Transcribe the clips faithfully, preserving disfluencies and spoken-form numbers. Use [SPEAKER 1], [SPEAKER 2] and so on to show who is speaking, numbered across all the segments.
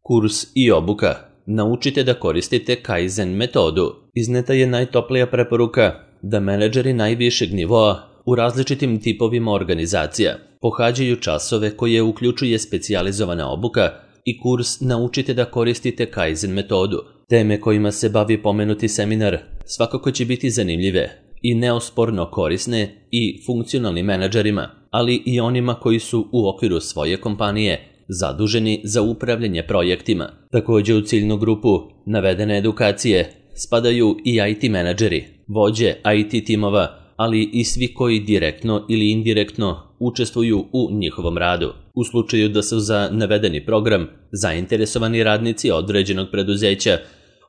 [SPEAKER 1] Kurs i obuka. Naučite da koristite Kaizen metodu. Izneta je najtoplija preporuka da menadžeri najvišeg nivoa u različitim tipovima organizacija pohađaju časove koje uključuje specijalizovana obuka i kurs Naučite da koristite Kaizen metodu. Teme kojima se bavi pomenuti seminar svakako će biti zanimljive i neosporno korisne i funkcionalnim menadžerima, ali i onima koji su u okviru svoje kompanije zaduženi za upravljanje projektima. Također u ciljnu grupu navedene edukacije spadaju i I T menadžeri, vođe I T timova, ali i svi koji direktno ili indirektno učestvuju u njihovom radu. U slučaju da su za navedeni program zainteresovani radnici određenog preduzeća,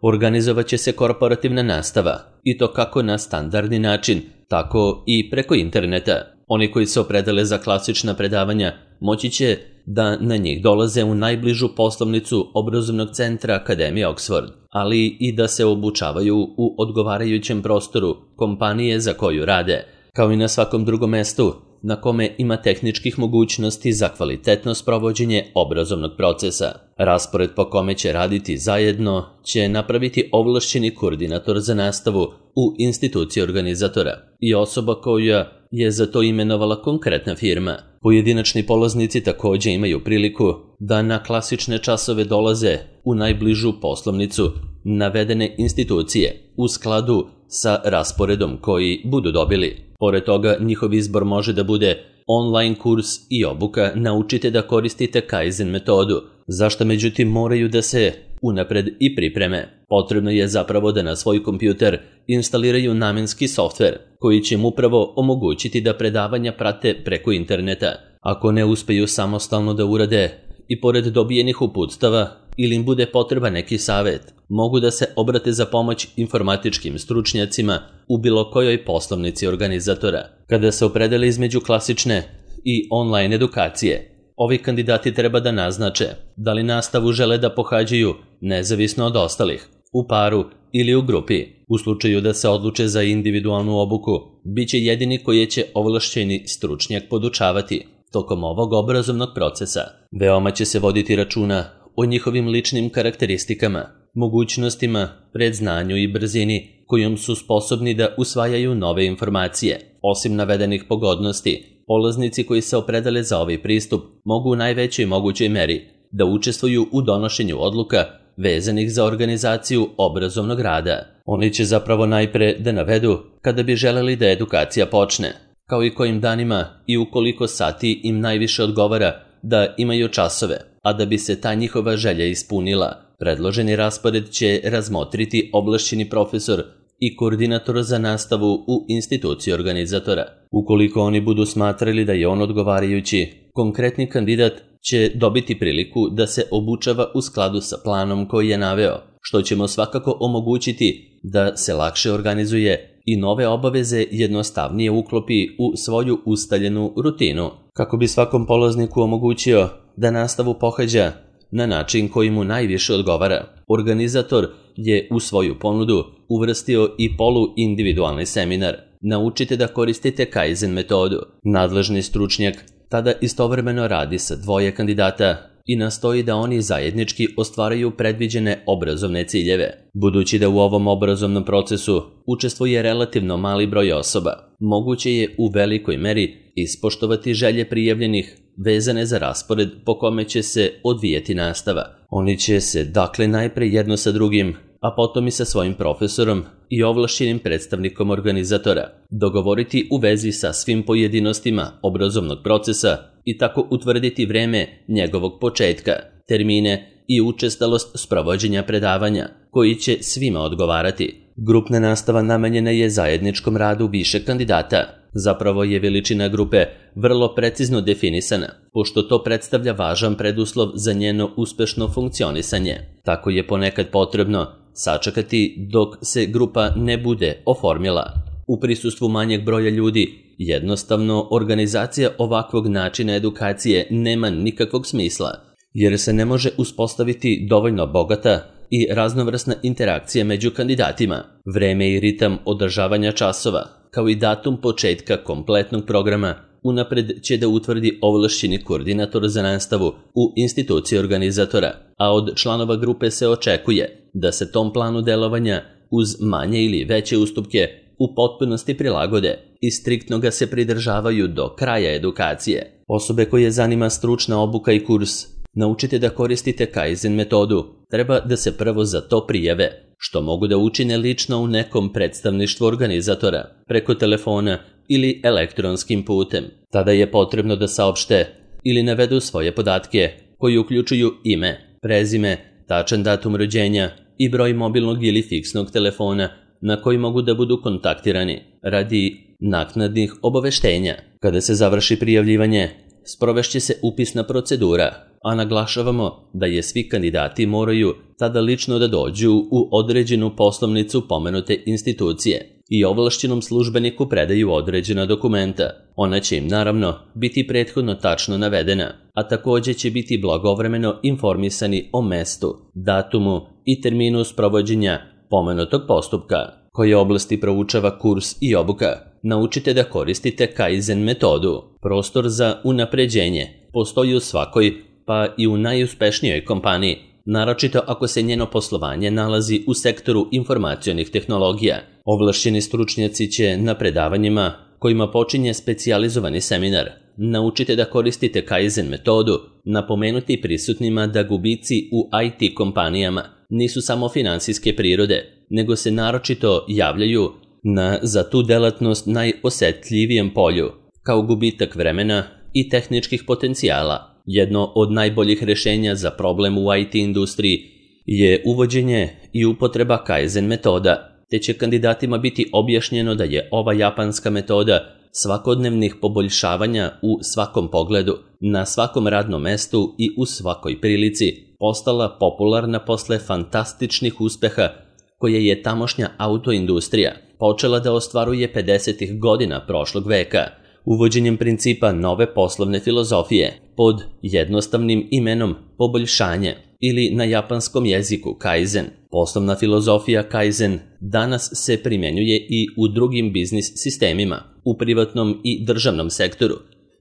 [SPEAKER 1] organizovat će se korporativna nastava, i to kako na standardni način, tako i preko interneta. Oni koji se opredele za klasična predavanja moći će da na njih dolaze u najbližu poslovnicu obrazovnog centra Akademije Oxford, ali i da se obučavaju u odgovarajućem prostoru kompanije za koju rade, kao i na svakom drugom mestu na kome ima tehničkih mogućnosti za kvalitetno sprovođenje obrazovnog procesa. Raspored po kome će raditi zajedno će napraviti ovlašćeni koordinator za nastavu u instituciji organizatora i osoba koja je za to imenovala konkretna firma. Pojedinačni polaznici također imaju priliku da na klasične časove dolaze u najbližu poslovnicu navedene institucije u skladu sa rasporedom koji budu dobili. Pored toga, njihov izbor može da bude online kurs i obuka Naučite da koristite Kaizen metodu, zašto međutim moraju da se unapred i pripreme. Potrebno je zapravo da na svoj kompjuter instaliraju namenski softver koji će im upravo omogućiti da predavanja prate preko interneta. Ako ne uspeju samostalno da urade i pored dobijenih uputstava ili im bude potreba neki savjet, mogu da se obrate za pomoć informatičkim stručnjacima u bilo kojoj poslovnici organizatora. Kada se opredele između klasične i online edukacije, ovi kandidati treba da naznače da li nastavu žele da pohađaju nezavisno od ostalih, u paru ili u grupi. U slučaju da se odluče za individualnu obuku, bit će jedini koji će ovlašćeni stručnjak podučavati tokom ovog obrazovnog procesa. Veoma će se voditi računa o njihovim ličnim karakteristikama, mogućnostima, predznanju i brzini kojom su sposobni da usvajaju nove informacije. Osim navedenih pogodnosti, polaznici koji se opredele za ovaj pristup mogu u najvećoj mogućoj meri da učestvuju u donošenju odluka vezanih za organizaciju obrazovnog rada. Oni će zapravo najpre da navedu kada bi želeli da edukacija počne, kao i kojim danima i u koliko sati im najviše odgovara da imaju časove, a da bi se ta njihova želja ispunila, predloženi raspored će razmotriti ovlašćeni profesor i koordinator za nastavu u instituciji organizatora. Ukoliko oni budu smatrali da je on odgovarajući, konkretni kandidat će dobiti priliku da se obučava u skladu sa planom koji je naveo, što će mu svakako omogućiti da se lakše organizuje i nove obaveze jednostavnije uklopi u svoju ustaljenu rutinu. Kako bi svakom polazniku omogućio da nastavu pohađa na način koji mu najviše odgovara, organizator je u svoju ponudu uvrstio i polu-individualni seminar Naučite da koristite Kaizen metodu. Nadležni stručnjak tada istovremeno radi sa dvoje kandidata i nastoji da oni zajednički ostvaraju predviđene obrazovne ciljeve. Budući da u ovom obrazovnom procesu učestvuje relativno mali broj osoba, moguće je u velikoj meri ispoštovati želje prijavljenih vezane za raspored po kome će se odvijeti nastava. Oni će se dakle najpre jedno sa drugim, a potom i sa svojim profesorom i ovlašćenim predstavnikom organizatora dogovoriti u vezi sa svim pojedinostima obrazovnog procesa i tako utvrditi vreme njegovog početka, termine i učestalost sprovođenja predavanja koji će svima odgovarati. Grupna nastava namenjena je zajedničkom radu više kandidata. Zapravo je veličina grupe vrlo precizno definisana, pošto to predstavlja važan preduslov za njeno uspešno funkcionisanje. Tako je ponekad potrebno sačekati dok se grupa ne bude oformila. U prisustvu manjeg broja ljudi, jednostavno organizacija ovakvog načina edukacije nema nikakvog smisla, jer se ne može uspostaviti dovoljno bogata i raznovrsna interakcija među kandidatima. Vreme i ritam održavanja časova, kao i datum početka kompletnog programa, unapred će da utvrdi ovlašćeni koordinator za nastavu u instituciji organizatora, a od članova grupe se očekuje da se tom planu delovanja uz manje ili veće ustupke u potpunosti prilagode i striktno ga se pridržavaju do kraja edukacije. Osobe koje zanima stručna obuka i kurs Naučite da koristite Kaizen metodu. Treba da se prvo za to prijave, što mogu da učine lično u nekom predstavništvu organizatora, preko telefona ili elektronskim putem. Tada je potrebno da saopšte ili navedu svoje podatke, koji uključuju ime, prezime, tačan datum rođenja i broj mobilnog ili fiksnog telefona na koji mogu da budu kontaktirani radi naknadnih obaveštenja. Kada se završi prijavljivanje, sprovešće se upisna procedura, a naglašavamo da je svi kandidati moraju tada lično da dođu u određenu poslovnicu pomenute institucije i ovlašćenom službeniku predaju određena dokumenta. Ona će im naravno biti prethodno tačno navedena, a takođe će biti blagovremeno informisani o mestu, datumu i terminu sprovođenja pomenutog postupka. Koje oblasti proučava kurs i obuka? Naučite da koristite Kaizen metodu. Prostor za unapređenje postoji u svakoj, pa i u najuspešnijoj kompaniji, naročito ako se njeno poslovanje nalazi u sektoru informacionih tehnologija. Ovlašćeni stručnjaci će na predavanjima, kojima počinje specijalizovani seminar, naučite da koristite Kaizen metodu, napomenuti prisutnima da gubici u I T kompanijama nisu samo finansijske prirode, nego se naročito javljaju na za tu delatnost najosetljivijem polju, kao gubitak vremena i tehničkih potencijala. Jedno od najboljih rešenja za problem u I T industriji je uvođenje i upotreba Kaizen metoda, te će kandidatima biti objašnjeno da je ova japanska metoda svakodnevnih poboljšavanja u svakom pogledu, na svakom radnom mestu i u svakoj prilici postala popularna posle fantastičnih uspeha koje je tamošnja autoindustrija počela da ostvaruje pedesetih godina prošlog veka, uvođenjem principa nove poslovne filozofije pod jednostavnim imenom poboljšanje ili na japanskom jeziku Kaizen. Poslovna filozofija Kaizen danas se primenjuje i u drugim biznis sistemima, u privatnom i državnom sektoru,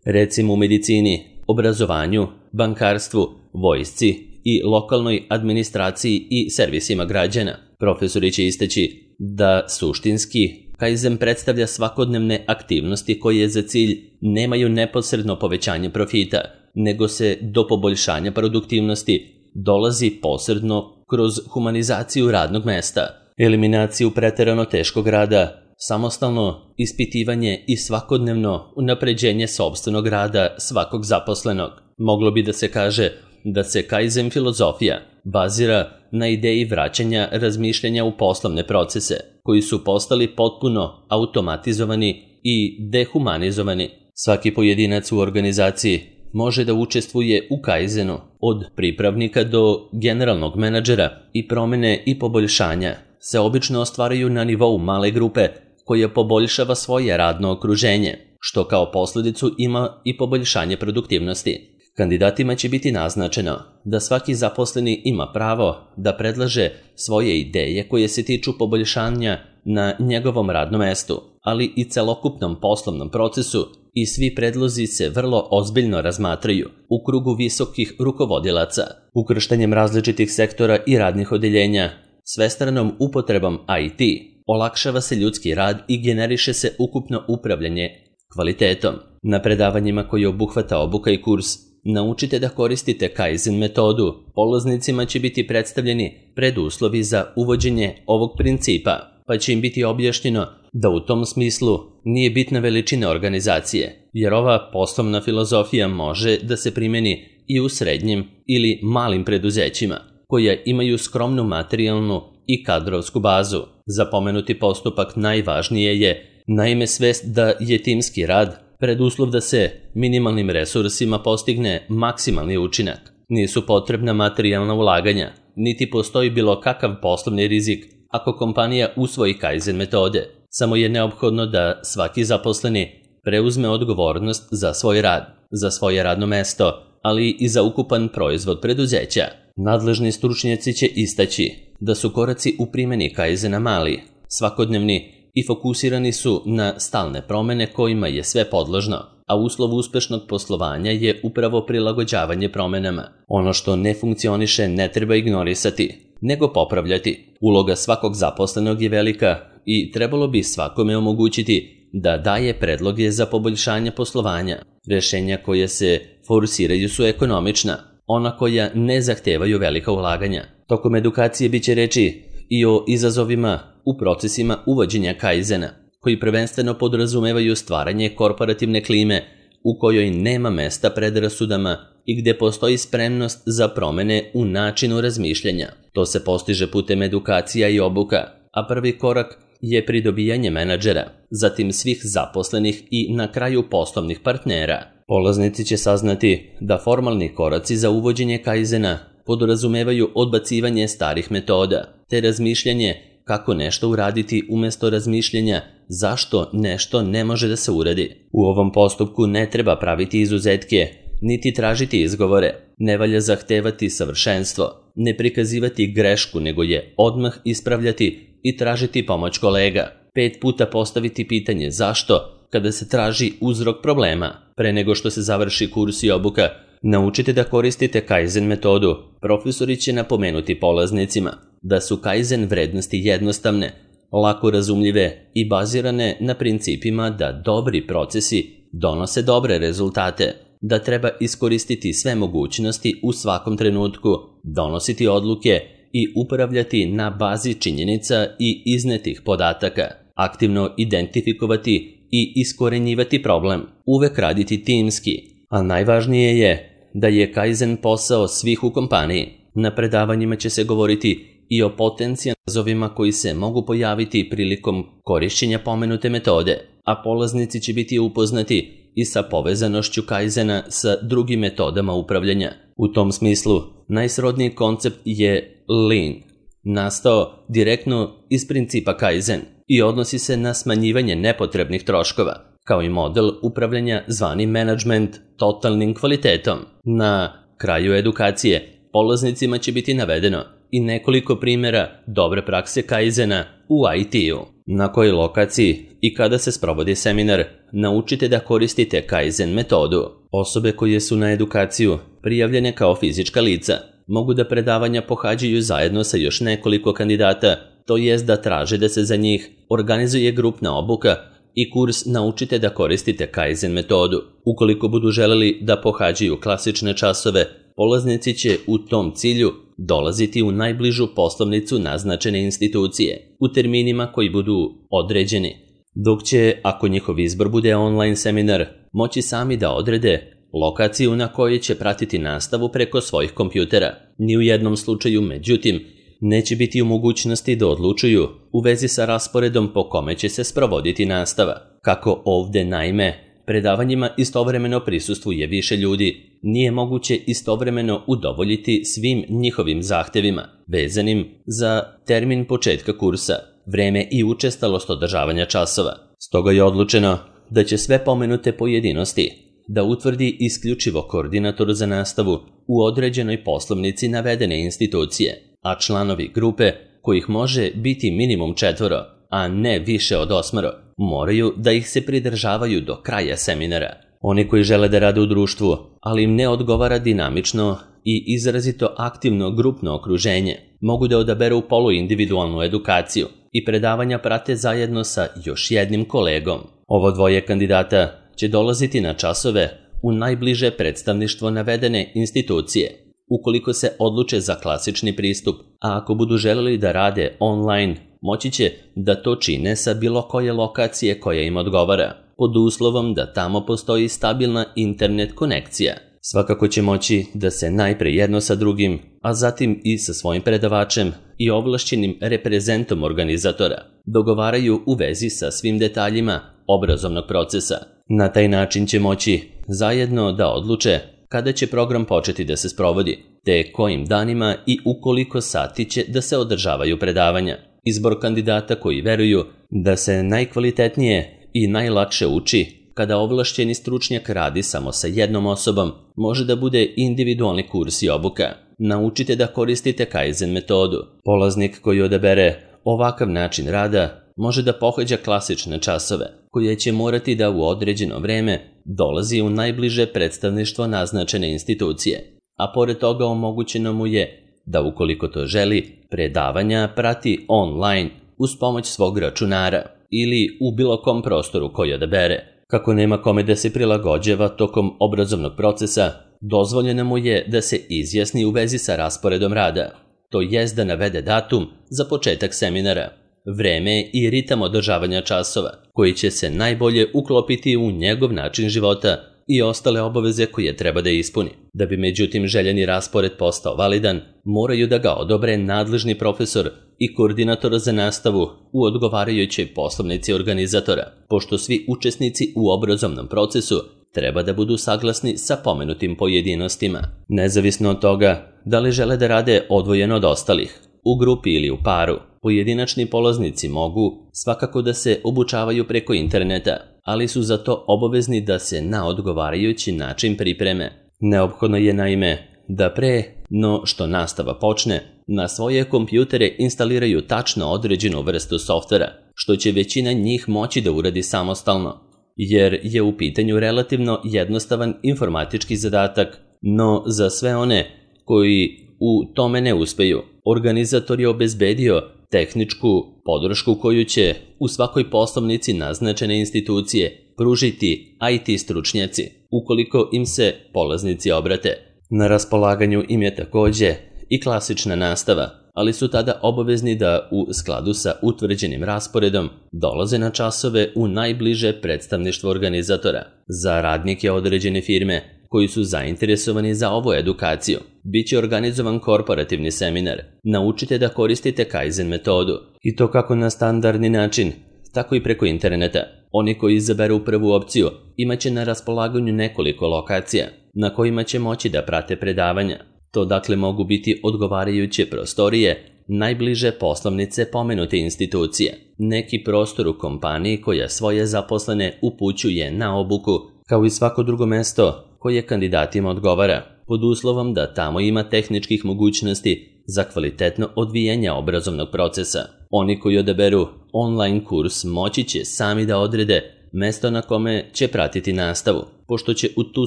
[SPEAKER 1] recimo u medicini, obrazovanju, bankarstvu, vojsci i lokalnoj administraciji i servisima građana. Profesori će istaći da suštinski Kaizen predstavlja svakodnevne aktivnosti koje za cilj nemaju neposredno povećanje profita, nego se do poboljšanja produktivnosti dolazi posredno kroz humanizaciju radnog mesta, eliminaciju preterano teškog rada, samostalno ispitivanje i svakodnevno unapređenje sopstvenog rada svakog zaposlenog. Moglo bi da se kaže da se Kaizen filozofija bazira na ideji vraćanja razmišljanja u poslovne procese, koji su postali potpuno automatizovani i dehumanizovani. Svaki pojedinac u organizaciji može da učestvuje u Kaizenu, od pripravnika do generalnog menadžera, i promene i poboljšanja se obično ostvaraju na nivou male grupe koja poboljšava svoje radno okruženje, što kao posledicu ima i poboljšanje produktivnosti. Kandidatima će biti naznačeno da svaki zaposleni ima pravo da predlaže svoje ideje koje se tiču poboljšanja na njegovom radnom mestu, ali i celokupnom poslovnom procesu, i svi predlozi se vrlo ozbiljno razmatraju u krugu visokih rukovodilaca. Ukrštanjem različitih sektora i radnih odeljenja, svestranom upotrebom I T, olakšava se ljudski rad i generiše se ukupno upravljanje kvalitetom. Na predavanjima koji obuhvata obuka i kurs, naučite da koristite Kaizen metodu. Polaznicima će biti predstavljeni preduslovi za uvođenje ovog principa, pa će im biti objašnjeno da u tom smislu nije bitna veličina organizacije, jer ova poslovna filozofija može da se primeni i u srednjim ili malim preduzećima, koja imaju skromnu materijalnu i kadrovsku bazu. Za pomenuti postupak najvažnije je naime svest da je timski rad preduslov da se minimalnim resursima postigne maksimalni učinak. Nisu potrebna materijalna ulaganja, niti postoji bilo kakav poslovni rizik ako kompanija usvoji Kaizen metode. Samo je neophodno da svaki zaposleni preuzme odgovornost za svoj rad, za svoje radno mesto, ali i za ukupan proizvod preduzeća. Nadležni stručnjaci će istaći da su koraci u primjeni Kaizena mali, svakodnevni i fokusirani su na stalne promene kojima je sve podložno. a uslov uspešnog poslovanja je upravo prilagođavanje promenama. Ono što ne funkcioniše ne treba ignorisati, nego popravljati. Uloga svakog zaposlenog je velika i trebalo bi svakome omogućiti da daje predloge za poboljšanje poslovanja. Rešenja koje se forsiraju su ekonomična, ona koja ne zahtevaju velika ulaganja. Tokom edukacije biće reči i o izazovima u procesima uvođenja kaizena, koji prvenstveno podrazumevaju stvaranje korporativne klime u kojoj nema mesta predrasudama i gde postoji spremnost za promene u načinu razmišljanja. To se postiže putem edukacija i obuka, a prvi korak je pridobijanje menadžera, zatim svih zaposlenih i na kraju poslovnih partnera. Polaznici će saznati da formalni koraci za uvođenje kaizena podrazumevaju odbacivanje starih metoda, te razmišljanje kako nešto uraditi umesto razmišljenja zašto nešto ne može da se uradi. U ovom postupku ne treba praviti izuzetke, niti tražiti izgovore, ne valja zahtevati savršenstvo, ne prikazivati grešku, nego je odmah ispravljati i tražiti pomoć kolega. Pet puta postaviti pitanje zašto kada se traži uzrok problema. Pre nego što se završi kurs i obuka, naučite da koristite kaizen metodu. Profesori će napomenuti polaznicima da su kaizen vrednosti jednostavne, lako razumljive i bazirane na principima da dobri procesi donose dobre rezultate, da treba iskoristiti sve mogućnosti u svakom trenutku, donositi odluke i upravljati na bazi činjenica i iznetih podataka, aktivno identifikovati i iskorenjivati problem, uvek raditi timski, a najvažnije je da je kaizen posao svih u kompaniji. Na predavanjima će se govoriti i o potencijalnim izazovima koji se mogu pojaviti prilikom korišćenja pomenute metode, a polaznici će biti upoznati i sa povezanošću kaizena sa drugim metodama upravljanja. U tom smislu, najsrodniji koncept je lean, nastao direktno iz principa kaizen i odnosi se na smanjivanje nepotrebnih troškova, kao i model upravljanja zvani management totalnim kvalitetom. Na kraju edukacije polaznicima će biti navedeno i nekoliko primjera dobre prakse kaizena u I T-u. Na kojoj lokaciji i kada se sprovodi seminar, naučite da koristite kaizen metodu. Osobe koje su na edukaciju prijavljene kao fizička lica mogu da predavanja pohađaju zajedno sa još nekoliko kandidata, to jest da traže da se za njih organizuje grupna obuka i kurs Naučite da koristite kaizen metodu. Ukoliko budu želeli da pohađaju klasične časove, polaznici će u tom cilju dolaziti u najbližu poslovnicu naznačene institucije, u terminima koji budu određeni, dok će, ako njihov izbor bude online seminar, moći sami da odrede lokaciju na kojoj će pratiti nastavu preko svojih kompjutera. Ni u jednom slučaju, međutim, neće biti u mogućnosti da odlučuju u vezi sa rasporedom po kome će se sprovoditi nastava. Kako ovde, naime, predavanjima istovremeno prisustvuje više ljudi, nije moguće istovremeno udovoljiti svim njihovim zahtevima, vezanim za termin početka kursa, vreme i učestalost održavanja časova. Stoga je odlučeno da će sve pomenute pojedinosti da utvrdi isključivo koordinator za nastavu u određenoj poslovnici navedene institucije, a članovi grupe, kojih može biti minimum četvoro, a ne više od osmoro, moraju da ih se pridržavaju do kraja seminara. Oni koji žele da rade u društvu, ali im ne odgovara dinamično i izrazito aktivno grupno okruženje, mogu da odaberu poluindividualnu edukaciju i predavanja prate zajedno sa još jednim kolegom. Ovo dvoje kandidata će dolaziti na časove u najbliže predstavništvo navedene institucije, ukoliko se odluče za klasični pristup, a ako budu želeli da rade online, moći će da to čine sa bilo koje lokacije koja im odgovara, pod uslovom da tamo postoji stabilna internet konekcija. Svakako će moći da se najpre jedno sa drugim, a zatim i sa svojim predavačem i ovlašćenim reprezentom organizatora dogovaraju u vezi sa svim detaljima obrazovnog procesa. Na taj način će moći zajedno da odluče kada će program početi da se sprovodi, te kojim danima i u koliko sati će da se održavaju predavanja. Izbor kandidata koji veruju da se najkvalitetnije i najlakše uči kada ovlašćeni stručnjak radi samo sa jednom osobom, može da bude individualni kurs i obuka. Naučite da koristite kaizen metodu. Polaznik koji odabere ovakav način rada može da pohađa klasične časove, koje će morati da u određeno vreme dolazi u najbliže predstavništvo naznačene institucije, a pored toga omogućeno mu je da ukoliko to želi, predavanja prati online uz pomoć svog računara ili u bilo kom prostoru koji odabere. Kako nema kome da se prilagođava tokom obrazovnog procesa, dozvoljeno mu je da se izjasni u vezi sa rasporedom rada, to jest da navede datum za početak seminara, vreme i ritam održavanja časova, koji će se najbolje uklopiti u njegov način života i ostale obaveze koje treba da ispuni. Da bi međutim željeni raspored postao validan, moraju da ga odobre nadležni profesor i koordinator za nastavu u odgovarajućoj poslovnici organizatora, pošto svi učesnici u obrazovnom procesu treba da budu saglasni sa pomenutim pojedinostima. Nezavisno od toga da li žele da rade odvojeno od ostalih, u grupi ili u paru, pojedinačni polaznici mogu svakako da se obučavaju preko interneta, ali su za to obavezni da se na odgovarajući način pripreme. Neophodno je naime da pre no što nastava počne, na svoje kompjutere instaliraju tačno određenu vrstu softvera, što će većina njih moći da uradi samostalno, jer je u pitanju relativno jednostavan informatički zadatak, no za sve one koji u tome ne uspeju, organizator je obezbedio tehničku podršku koju će u svakoj poslovnici naznačene institucije pružiti I T stručnjaci, ukoliko im se polaznici obrate. Na raspolaganju im je takođe i klasična nastava, ali su tada obavezni da u skladu sa utvrđenim rasporedom dolaze na časove u najbliže predstavništvo organizatora. Za radnike određene firme koji su zainteresovani za ovu edukaciju, bit će organizovan korporativni seminar. Naučite da koristite Kaizen metodu, i to kako na standardni način, tako i preko interneta. Oni koji izaberu prvu opciju imaće na raspolaganju nekoliko lokacija na kojima će moći da prate predavanja. To dakle mogu biti odgovarajuće prostorije, najbliže poslovnice pomenute institucije, neki prostor u kompaniji koja svoje zaposlene upućuje na obuku, kao i svako drugo mesto koje kandidatima odgovara, pod uslovom da tamo ima tehničkih mogućnosti za kvalitetno odvijanje obrazovnog procesa. Oni koji odaberu online kurs moći će sami da odrede mesto na kome će pratiti nastavu, pošto će u tu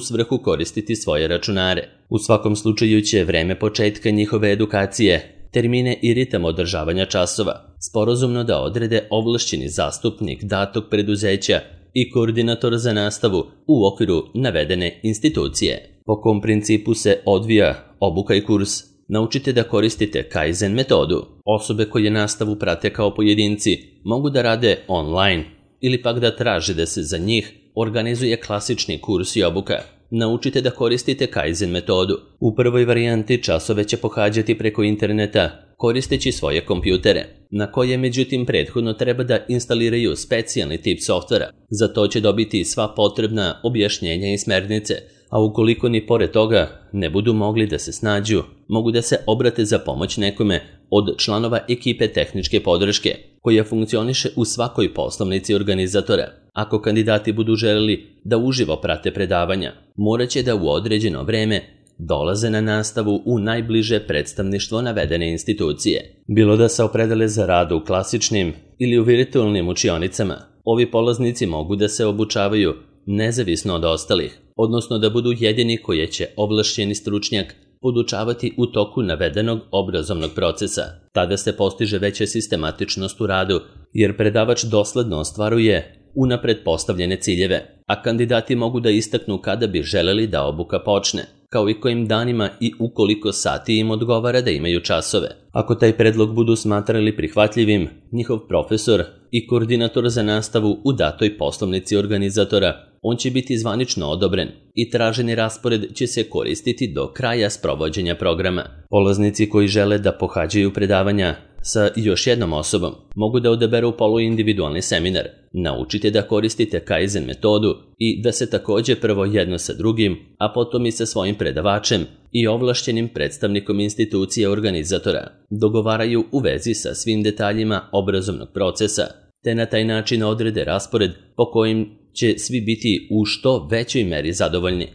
[SPEAKER 1] svrhu koristiti svoje računare. U svakom slučaju će vreme početka njihove edukacije, termine i ritam održavanja časova sporazumno da odrede ovlašćeni zastupnik datog preduzeća i koordinator za nastavu u okviru navedene institucije. Po kom principu se odvija obuka i kurs? Naučite da koristite Kaizen metodu. Osobe koje nastavu prate kao pojedinci mogu da rade online ili pak da traže da se za njih organizuje klasični kurs i obuka. Naučite da koristite Kaizen metodu. U prvoj varijanti časove će pohađati preko interneta koristeći svoje kompjutere, na koje međutim prethodno treba da instaliraju specijalni tip softvera. Za to će dobiti sva potrebna objašnjenja i smernice, a ukoliko ni pored toga ne budu mogli da se snađu, mogu da se obrate za pomoć nekome od članova ekipe tehničke podrške, koja funkcioniše u svakoj poslovnici organizatora. Ako kandidati budu želeli da uživo prate predavanja, morat će da u određeno vreme dolaze na nastavu u najbliže predstavništvo navedene institucije. Bilo da se opredele za rad u klasičnim ili u virtualnim učionicama, ovi polaznici mogu da se obučavaju nezavisno od ostalih, odnosno da budu jedini koje će ovlašćeni stručnjak podučavati u toku navedenog obrazovnog procesa. Tada se postiže veća sistematičnost u radu, jer predavač dosledno ostvaruje unapred postavljene ciljeve, a kandidati mogu da istaknu kada bi želeli da obuka počne, kao i kojim danima i ukoliko sati im odgovara da imaju časove. Ako taj predlog budu smatrali prihvatljivim, njihov profesor i koordinator za nastavu u datoj poslovnici organizatora, on će biti zvanično odobren i traženi raspored će se koristiti do kraja sprovođenja programa. Polaznici koji žele da pohađaju predavanja sa još jednom osobom mogu da odaberu poluindividualni seminar. Naučite da koristite Kaizen metodu i da se takođe prvo jedno sa drugim, a potom i sa svojim predavačem i ovlašćenim predstavnikom institucije organizatora dogovaraju u vezi sa svim detaljima obrazovnog procesa, te na taj način odrede raspored po kojim će svi biti u što većoj meri zadovoljni.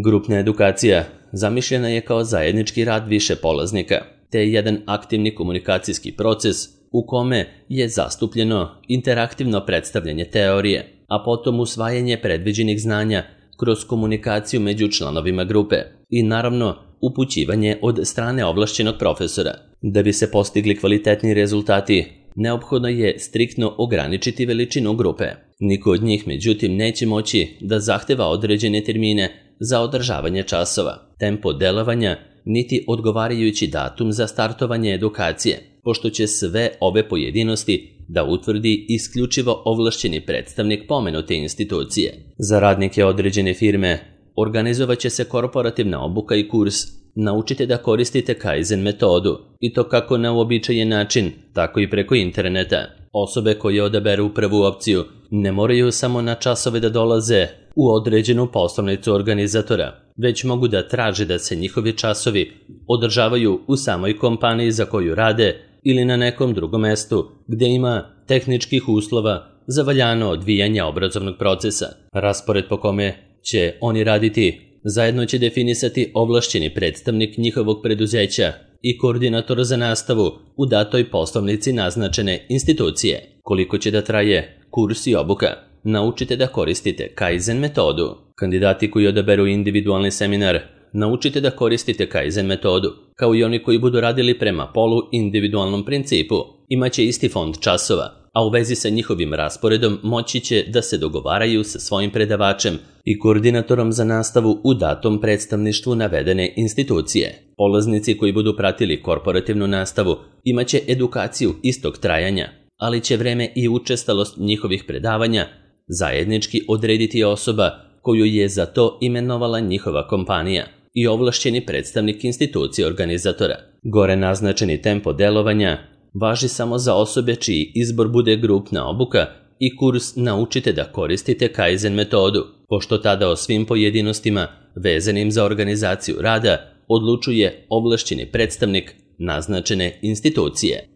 [SPEAKER 1] Grupna edukacija zamišljena je kao zajednički rad više polaznika, te je jedan aktivni komunikacijski proces u kome je zastupljeno interaktivno predstavljanje teorije, a potom usvajanje predviđenih znanja kroz komunikaciju među članovima grupe i naravno upućivanje od strane ovlašćenog profesora. Da bi se postigli kvalitetni rezultati, neophodno je striktno ograničiti veličinu grupe. Niko od njih, međutim, neće moći da zahteva određene termine za održavanje časova, tempo delovanja, niti odgovarajući datum za startovanje edukacije, pošto će sve ove pojedinosti da utvrdi isključivo ovlašćeni predstavnik pomenute institucije. Za radnike određene firme organizovat će se korporativna obuka i kurs Naučite da koristite Kaizen metodu, i to kako na uobičajen način, tako i preko interneta. Osobe koje odaberu prvu opciju ne moraju samo na časove da dolaze u određenu poslovnicu organizatora, već mogu da traže da se njihovi časovi održavaju u samoj kompaniji za koju rade ili na nekom drugom mestu gde ima tehničkih uslova za valjano odvijanje obrazovnog procesa. Raspored po kome će oni raditi zajedno će definisati ovlašćeni predstavnik njihovog preduzeća i koordinator za nastavu u datoj poslovnici naznačene institucije. Koliko će da traje kurs i obuka? Naučite da koristite Kaizen metodu. Kandidati koji odaberu individualni seminar Naučite da koristite Kaizen metodu, kao i oni koji budu radili prema polu individualnom principu, imaće isti fond časova, a u vezi sa njihovim rasporedom moći će da se dogovaraju sa svojim predavačem i koordinatorom za nastavu u datom predstavništvu navedene institucije. Polaznici koji budu pratili korporativnu nastavu imaće edukaciju istog trajanja, ali će vreme i učestalost njihovih predavanja zajednički odrediti osoba koju je za to imenovala njihova kompanija i ovlašćeni predstavnik institucije organizatora. Gore naznačeni tempo delovanja važi samo za osobe čiji izbor bude grupna obuka i kurs Naučite da koristite Kaizen metodu, pošto tada o svim pojedinostima vezanim za organizaciju rada odlučuje ovlašćeni predstavnik naznačene institucije.